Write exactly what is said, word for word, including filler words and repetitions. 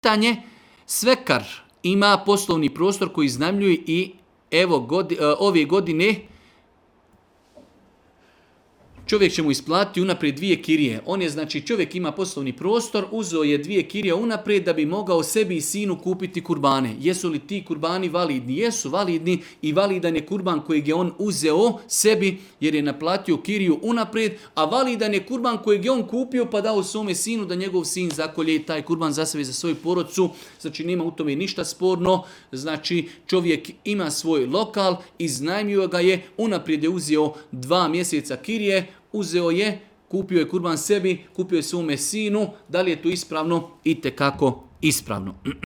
pitanje, svekar ima poslovni prostor koji iznajmljuje i evo godi, ove godine čovjek će mu isplatiti unaprijed dvije kirije. On je, znači, čovjek ima poslovni prostor, uzeo je dvije kirije unaprijed da bi mogao sebi i sinu kupiti kurbane. Jesu li ti kurbani validni? Jesu validni i validan je kurban kojeg je on uzeo sebi jer je naplatio kiriju unaprijed, a validan je kurban kojeg je on kupio pa dao svome sinu da njegov sin zakolje taj kurban za sebe, za svoju porodcu. Znači, nema u tome ništa sporno. Znači, čovjek ima svoj lokal, iznajmio ga je, unaprijed je uzeo dva mjeseca kirije, uzeo je, kupio je kurban sebi, kupio je svome sinu, da li je to ispravno? Itekako ispravno.